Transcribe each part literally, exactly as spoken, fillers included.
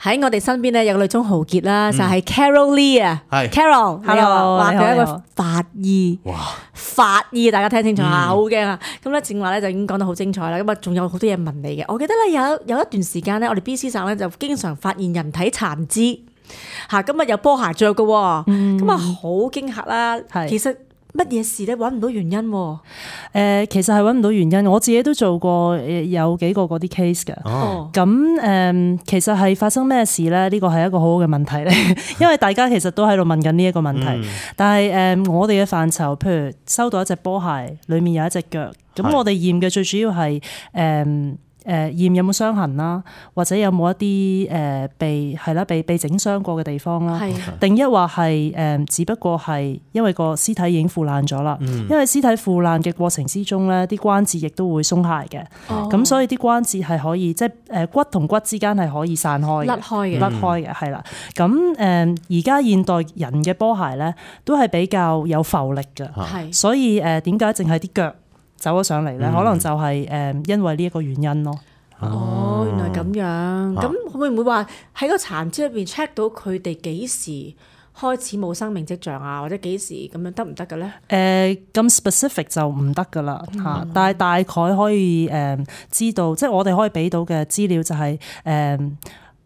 喺我哋身邊咧有個女中豪傑啦，就係 Carol Lee 啊，Carol，Hello，話佢一個法醫，哇，法醫大家聽清楚啊，好驚啊！咁咧正話咧就已經講得好精彩啦，咁啊仲有好多嘢問你嘅。我記得咧有有一段時間咧，我哋 B C 省咧就經常發現人體殘肢，嚇咁啊有波鞋着嘅，咁啊好驚嚇啦。其實乜嘢事咧？揾唔到原因喎、啊。誒、呃，其實係揾唔到原因。我自己都做過有幾個嗰啲 case 嘅。哦。咁誒、呃，其實係發生咩事咧？呢個係一個好好嘅問題咧，因為大家其實都喺度問緊呢一個問題。嗯、但係誒、呃，我哋嘅範疇，譬如收到一隻波鞋，裡面有一隻腳，咁我哋驗嘅最主要係誒。呃誒驗有冇傷痕啦，或者有冇一啲誒被係啦被被整傷過嘅地方啦，定一話係誒只不過係因為個屍體已經腐爛咗啦，嗯、因為屍體腐爛嘅過程之中咧，啲關節亦都會鬆懈嘅，咁、哦、所以啲關節係可以即係誒骨同骨之間係可以散開嘅，甩開嘅，甩開嘅係啦。咁誒而家現代人嘅波鞋咧，都係比較有浮力嘅，係所以誒點解淨係啲腳走咗上嚟咧，可能就係誒因為呢一個原因咯。哦，原來咁樣，咁、啊、會唔會話喺個殘肢入邊 check 到佢哋幾時開始冇生命跡象啊，或者幾時咁樣得唔得嘅咧？誒、呃，咁 specific 就唔得噶啦嚇，但係大概可以誒知道，即係我哋可以俾到嘅資料就係誒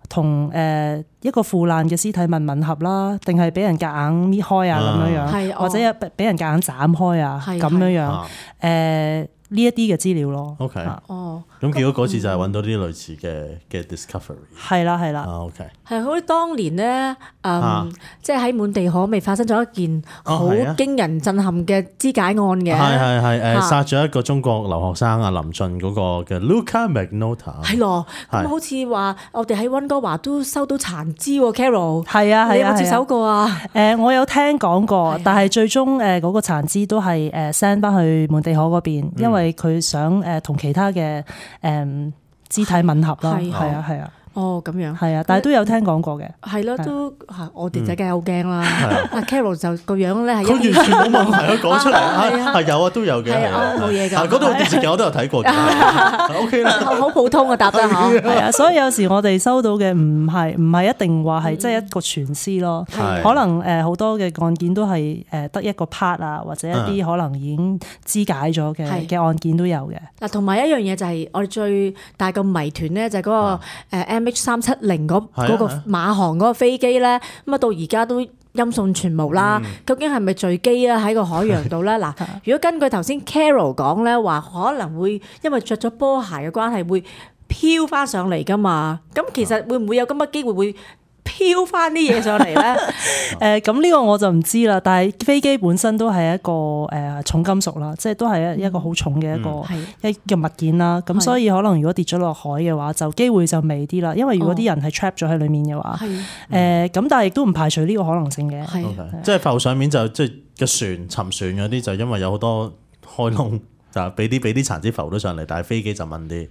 同誒一個腐爛嘅屍體吻吻合啦，定係俾人夾硬搣開啊咁樣樣，或者俾人夾硬斬開啊咁樣樣誒。呢一啲嘅資料咯。OK，哦，咁結果嗰次就係揾到啲類似嘅嘅 discovery。係啦，係啦。OK，係好似當年咧，誒，即係喺滿地可未發生咗一件好驚人震撼嘅肢解案嘅。係係係誒，殺咗一個中國留學生啊，林俊嗰個嘅 Luca Magnotta。係咯，咁好似話我哋喺溫哥華都收到殘肢喎 ，Carol。係啊係啊，你有冇接手過啊？誒，我有聽講過，但係最終誒嗰個殘肢都係誒 send 翻去滿地可嗰邊，因為因為佢想誒同其他嘅誒肢體吻合啦，係啊係啊。哦，咁樣係啊，但係都有聽講過嘅。係咯，都嚇我哋仔梗係好驚啦。阿 Carol 就個樣咧係佢完全冇問題啊，講出嚟啊，係有啊，都有嘅。係啊，冇嘢㗎。嗰套電視劇我都有睇過嘅。O K 啦，好普通啊，答得嚇。係啊，所以有時我哋收到嘅唔係唔係一定話係即係一個全屍咯，可能誒好多嘅案件都係誒得一個 part 啊，或者一啲可能已經肢解咗嘅嘅案件都有嘅。嗱，同埋一樣嘢就係我哋最大個謎團咧，就係嗰個誒 M H 三七零嗰嗰個馬航嗰個飛機咧，咁啊到而家都音訊全無啦。嗯、究竟係咪墜機啊？喺個海洋度咧？嗱，如果根據頭先 Carol 講咧，話可能會因為着咗波鞋嘅關係，會飄翻上嚟噶嘛？咁其實會唔會有咁嘅機會會飄翻啲嘢上嚟咧？誒咁呢個我就唔知啦。但係飛機本身都係一個誒重金屬啦，即係都係一一個好重嘅一個、嗯、一個物件啦。咁所以可能如果跌咗落海嘅話，就機會就微啲啦。因為如果啲人係 trap 咗喺裡面嘅話，誒咁、哦呃、但係亦都唔排除呢個可能性嘅。係 Okay. 即係浮上面就即係個船沉船嗰啲，就因為有好多開窿，就俾啲俾啲殘肢浮咗上嚟，但係飛機就問啲。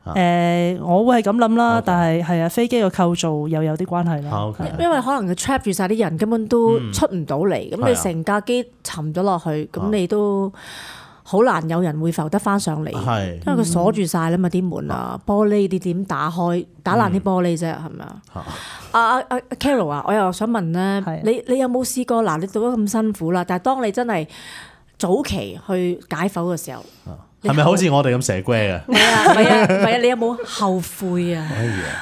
誒、呃，我會係咁諗啦，Okay. 但係係啊，飛機個構造又有啲關係啦。Okay. 因為可能佢 trap 住晒啲人，根本都出唔到嚟。咁、嗯、你成架機沉咗落去，咁、啊、你都好難有人會浮得翻上嚟。係，因為佢鎖住晒啦嘛，啲門啊、玻璃你點打開？打爛啲玻璃啫，係咪啊？阿阿阿 Carol 啊，我又想問咧的，你你有冇試過？嗱，你做得咁辛苦啦，但係當你真係早期去解剖嘅時候。係咪好似我哋咁蛇龜啊？係啊，係啊，係啊！你有冇後悔啊？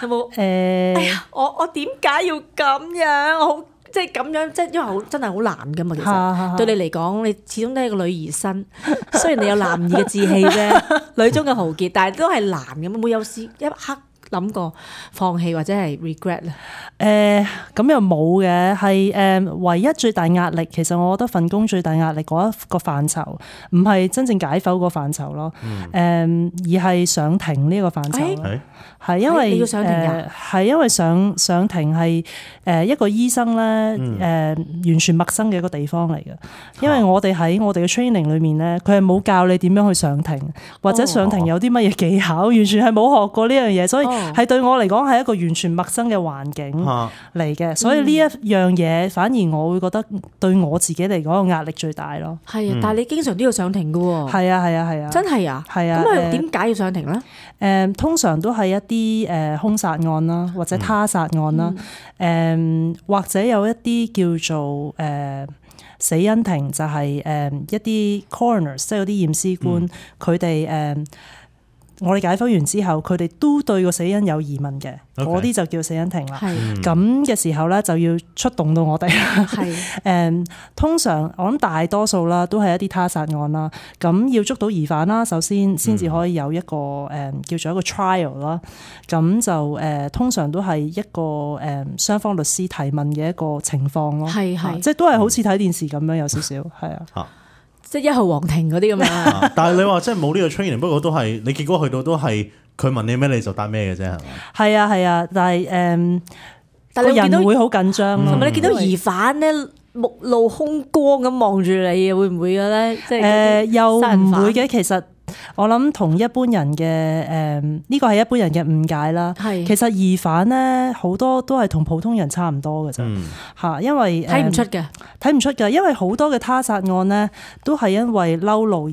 有冇誒？哎呀，我我點解要咁樣？我好即係咁樣，即係因為好真係好難噶嘛。其實對你嚟講，你始終都係個女兒身。雖然你有男兒嘅志氣啫，女中嘅豪傑，但係都係難嘅嘛。冇有試一刻諗過放棄或者係 regret 咧？誒咁又冇嘅，係誒唯一最大壓力，其實我覺得份工最大壓力嗰一個範疇，唔係真正解剖個範疇咯，誒、嗯、而係上庭呢個範疇。係、欸、因為誒係、呃、因為上上庭係誒一個醫生咧，誒、呃、完全陌生嘅一個地方嚟嘅。因為我哋喺我哋嘅 training 裏面咧，佢係冇教你點樣去上庭，或者上庭有啲乜嘢技巧，完全係冇學過呢樣嘢，所以係對我嚟講係一個完全陌生嘅環境嚟嘅，所以呢一樣嘢反而我會覺得對我自己嚟講個壓力最大咯。係啊，但係你經常都要上庭㗎喎。係啊係啊係啊，真係啊。係啊。咁佢點解要上庭咧？誒，通常都係係一啲誒兇殺案啦，或者他殺案啦，誒、嗯、或者有一啲叫做誒、呃、死因庭，就係、是、誒一啲 coroners， 即係嗰啲驗屍官，佢哋誒我哋解剖完之後，佢哋都對個死因有疑問嘅，嗰啲 Okay. 就叫死因庭啦。咁嘅時候咧，就要出動到我哋啦。係誒，通常我諗大多數啦，都係一啲他殺案啦。咁要捉到疑犯啦，首先先至可以有一個誒、嗯、叫做一個 trial 啦。咁就誒通常都係一個誒雙方律師提問嘅一個情況咯。係係，即係都係好似睇電視咁樣，有少少係啊。即係一號皇庭嗰啲咁樣，但係你話即係冇呢個 training，不過都係你結果去到都係佢問你咩你就答咩嘅啫，係嘛？係啊係啊，但係誒，但係個人會好緊張，同埋你見到疑犯咧目露凶光咁望住你，會唔會嘅咧？即係誒又唔會嘅，其實。我諗同一般人嘅誒呢個係一般人嘅誤解啦。係其實疑犯咧好多都係同普通人差唔多嘅啫嚇，因為睇唔出嘅，睇唔出嘅，因為好多嘅他殺案咧都係因為嬲怒而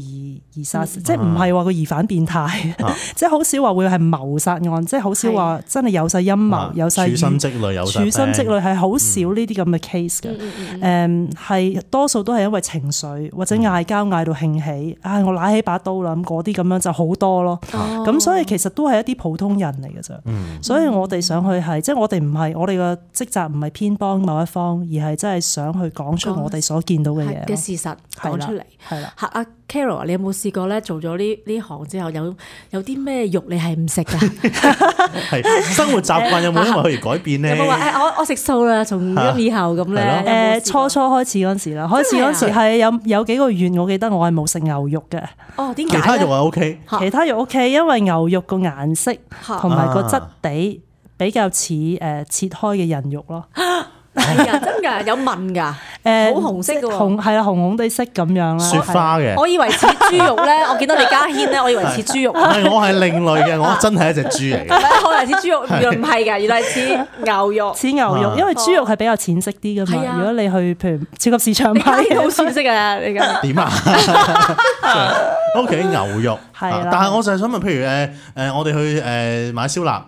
而殺，嗯、即係唔係話個疑犯變態，啊、即係好少話會係謀殺案，即係好少話真係有晒陰謀，啊、有晒處心積慮，有處心積慮係好少呢啲咁嘅 case 嘅。誒係多數都係因為情緒或者嗌交嗌到興起，唉、哎、我拿起把刀啦。嗰啲咁樣就好多咯，咁、哦、所以其實都係一啲普通人嚟嘅啫。嗯、所以我哋上去係，即係我哋唔係我哋嘅職責唔係偏幫某一方，而係真係想去講出我哋所見到嘅嘢嘅事實講出嚟。係啦，嚇阿 Carol，你有冇試過咧做咗呢呢行之後有有啲咩肉你係唔食㗎？係生活習慣有冇因為佢而改變咧？有冇話誒我我食素啦，從今以後咁咧？誒初初開始嗰陣時啦，開始嗰陣時係有有幾個月，我記得我係冇食牛肉嘅。哦，點解？其他肉係 OK，其他肉 OK，因為牛肉個顏色同埋個質地比較似誒切開嘅人肉咯。係啊，真㗎，有紋㗎，誒好紅色嘅喎，紅係啊，紅紅地色咁樣啦，雪花嘅。我以為似豬肉咧，我見到李家軒咧，我以為似豬肉。唔係，我係另類嘅，我真係一隻豬嚟嘅。可能似豬肉，原來唔係㗎，原來係似牛肉。似牛肉，因為豬肉係比較淺色啲㗎嘛。如果你去譬如超級市場買，好淺色啊！你講點啊？O K， 牛肉係，但係我就係想問，譬如誒誒，我哋去誒買燒臘。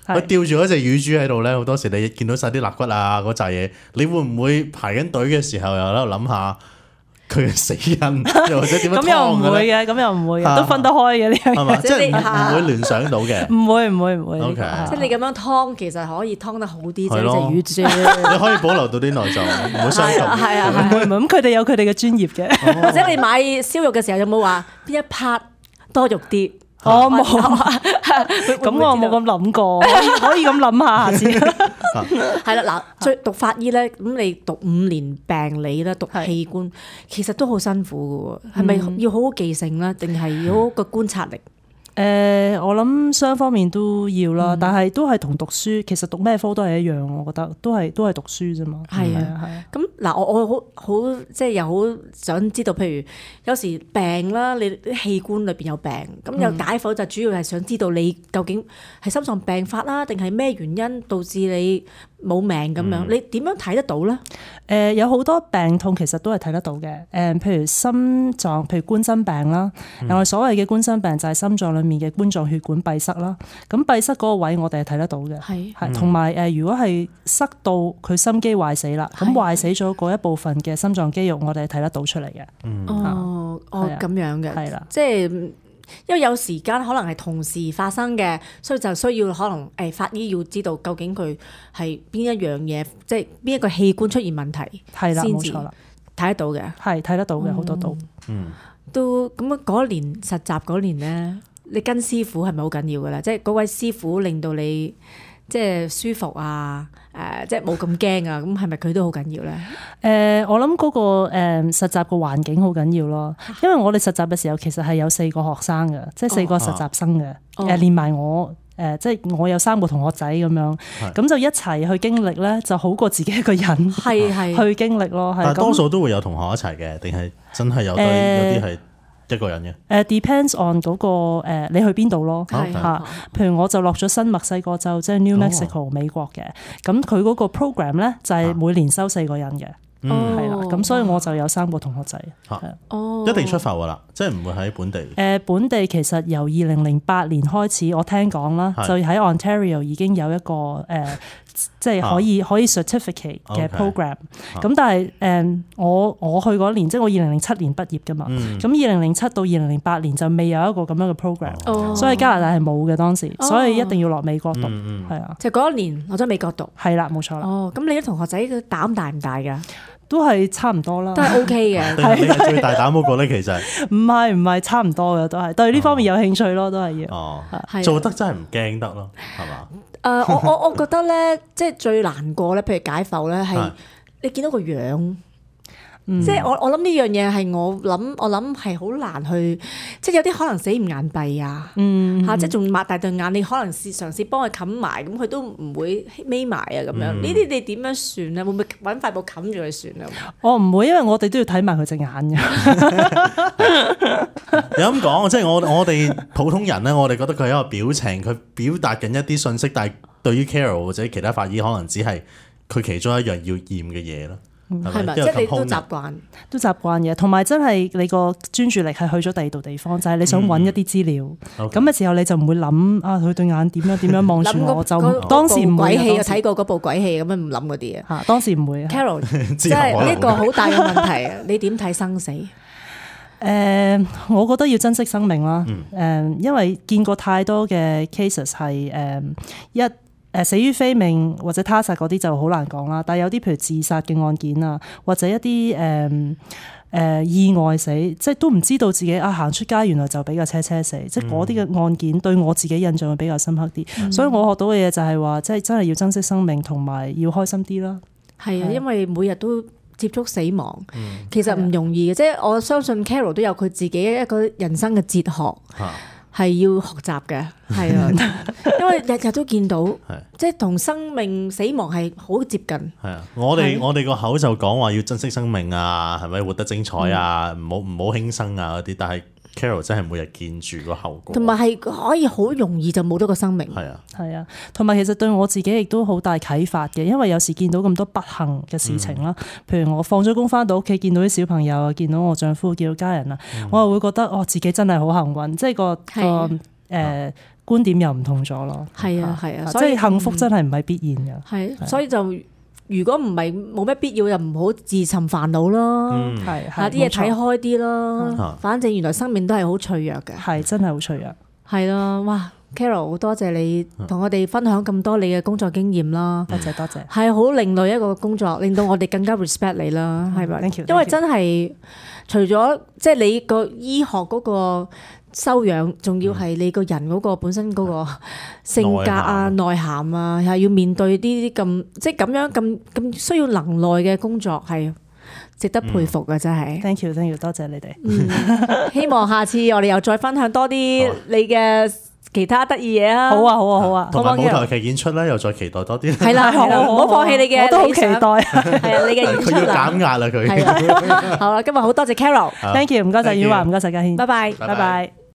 佢吊住嗰隻乳豬喺度咧，好多時你見到晒啲肋骨啊嗰扎嘢，你會唔會排緊隊嘅時候又喺度諗下佢嘅死因，又或者點樣劏嘅咧？咁又唔會嘅，咁又唔會嘅，都分得開嘅呢樣嘢，即係唔會聯想到嘅。唔會唔會唔會。O K，即係你咁樣劏，其實可以劏得好啲，即係隻乳豬。你可以保留到啲內臟，唔會傷到。係啊，唔會唔會。咁佢哋有佢哋嘅專業嘅。或者你買燒肉嘅時候有冇話邊一 part 多肉啲？我冇，咁我冇咁諗過，可以咁諗下下先。係啦，嗱，最讀法醫咧，咁你讀五年病理啦，讀器官，其實都好辛苦嘅喎，係咪要好好記性啦，定係要好個觀察力？誒、呃，我諗雙方面都要啦，嗯、但係都係同讀書，其實讀咩科都係一樣，我覺得都係都係讀書啫嘛。係啊，係啊。咁嗱，我我好好即係又好想知道，譬如有時病啦，你啲器官裏邊有病，咁有解剖就主要係想知道你究竟係心臟病發啦，定係咩原因導致你冇命咁樣？嗯、你點樣睇得到咧？誒、呃，有好多病痛其實都係睇得到嘅。誒、呃，譬如心臟，譬如冠心病啦，我哋、嗯、所謂嘅冠心病就係心臟裏面嘅冠狀血管閉塞啦。咁閉塞嗰個位我哋係睇得到嘅，係係同埋誒，如果係塞到佢心肌壞死啦，咁壞死咗嗰一部分嘅心臟肌肉，我哋係睇得到出嚟嘅。嗯、哦哦咁樣嘅，係啦，的即係。因為有時間可能係同時發生嘅，所以就需要可能誒法醫要知道究竟佢係邊一樣嘢，即係邊一個器官出現問題，係啦，冇錯啦，睇得到嘅，係睇得到嘅好多都，嗯，都咁啊！嗰年實習嗰年咧，你跟師傅係咪好緊要噶啦？即係嗰位師傅令到你即係舒服啊，誒、呃，即係冇咁驚啊！咁係咪佢都好緊要咧？誒、呃，我諗嗰、那個誒、呃、實習個環境好緊要咯，因為我哋實習嘅時候其實係有四個學生嘅，即係四個實習生嘅，誒、哦，連埋我，誒、呃，即係我有三個同學仔咁樣，咁是就一齊去經歷咧，就好過自己一個人係係去經歷咯。係，但係多數都會有同學一齊嘅，定係真係有對、呃、有啲係。一個人嘅，誒 depends on 嗰個誒你去邊度咯嚇，譬如我就落咗新墨西哥州，即係 New Mexico 美國嘅，咁佢嗰個 program 咧就係每年收四個人嘅，係啦，咁所以我就有三個同學仔。哦，一定出埠㗎啦，即係唔會喺本地。誒，本地其實由二零零八年開始，我聽講啦，就喺 Ontario 已經有一個誒，即係可以可以 certificate 嘅 program。咁但係誒，我我去嗰年，即係我二零零七年畢業㗎嘛。咁二零零七到二零零八年就未有一個咁樣嘅 program，所以加拿大係冇嘅當時，所以一定要落美國讀，係啊。就嗰一年落咗美國讀。係啦，冇錯啦。哦，咁你啲同學仔嘅膽大唔大㗎？都係差唔多啦，都係 OK 嘅。你係最大膽嗰個咧，其實唔係唔係差唔多嘅，都係對呢方面有興趣咯，都係要。哦，做得真係唔驚得咯，係嘛？誒，我我我覺得咧，即係最難過咧，譬如解剖咧，係你見到個樣。即係我我諗呢樣嘢係我諗我諗係好難去，即係有啲可能死唔眼閉啊，嚇，即係仲擘大對眼，你可能試嘗試幫佢冚埋，咁佢都唔會眯埋啊咁樣。呢啲你點樣算咧？會唔會揾塊布冚住佢算啊？我唔會，因為我哋都要睇埋佢隻眼嘅。有咁講，即係我我哋普通人咧，我哋覺得佢係一個表情，佢表達緊一啲信息，但係對於 Carol 或者其他法醫，可能只係佢其中一樣要驗嘅嘢咯。係咪？即係你都習慣，都習慣嘅。同埋真係你個專注力係去咗第二度地方，就係你想揾一啲資料。咁嘅時候你就唔會諗啊，佢對眼點樣點樣望住我，就當時唔會。鬼戲睇過嗰部鬼戲咁樣唔諗嗰啲啊。嚇，當時唔會。Carol，即係呢個好大嘅問題啊！你點睇生死？誒，我覺得要珍惜生命啦。誒，因為見過太多嘅 cases 係誒一。誒死於非命或者他殺嗰啲就好難講啦，但係有啲譬如自殺嘅案件啊，或者一啲誒誒意外死，即係都唔知道自己啊行出街原來就俾架車車死，嗯、即係嗰啲嘅案件對我自己印象會比較深刻啲，嗯、所以我學到嘅嘢就係話，即係真係要珍惜生命同埋要開心啲啦。係啊，因為每日都接觸死亡，嗯、其實唔容易嘅，即係我相信 Carol 都有佢自己一個人生嘅哲學。啊係要學習嘅，係啊，因為日日都見到，即係同生命死亡係好接近。係啊，我哋我哋個口就講話要珍惜生命啊，係咪活得精彩啊？唔好唔好輕生啊嗰啲，但係 Carol 真係每日見住個後果，同埋係可以好容易就冇咗個生命。係啊，係啊，同埋其實對我自己亦都好大啟發嘅，因為有時見到咁多不幸嘅事情啦，嗯、譬如我放咗工翻到屋企，見到啲小朋友啊，見到我丈夫，見到家人啊，嗯、我又會覺得哦，自己真係好幸運，即係個個誒、呃、觀點又唔同咗咯。係啊係啊，即係幸福真係唔係必然嘅。係，所以就。如果唔係冇咩必要，就唔好自尋煩惱咯。係，下啲嘢睇開啲咯。反正原來生命都係好脆弱嘅。係，真係好脆弱。係咯，哇 Carol 好多謝你同我哋分享咁多你嘅工作經驗啦。多謝多謝。係好另類一個工作，令到我哋更加 respect 你啦。係咪？因為真係除咗即係你個醫學嗰個修養，仲要係你個人嗰個本身嗰個性格啊、內涵啊，係要面對呢啲咁即係咁樣咁咁需要能耐嘅工作，係值得佩服嘅，真係。Thank you，thank you，多謝你哋。嗯，希望下次我哋又再分享多啲你嘅其他得意嘢啊！好啊，好啊，好啊！同埋舞台劇演出咧，又再期待多啲。係啦，係啦，唔好放棄你嘅，我都好期待。係啊，你嘅演出。佢要減壓啦，佢。好啦，今日好多謝 Carol，Thank you，唔該晒婉華，唔該晒家軒，拜拜，拜拜。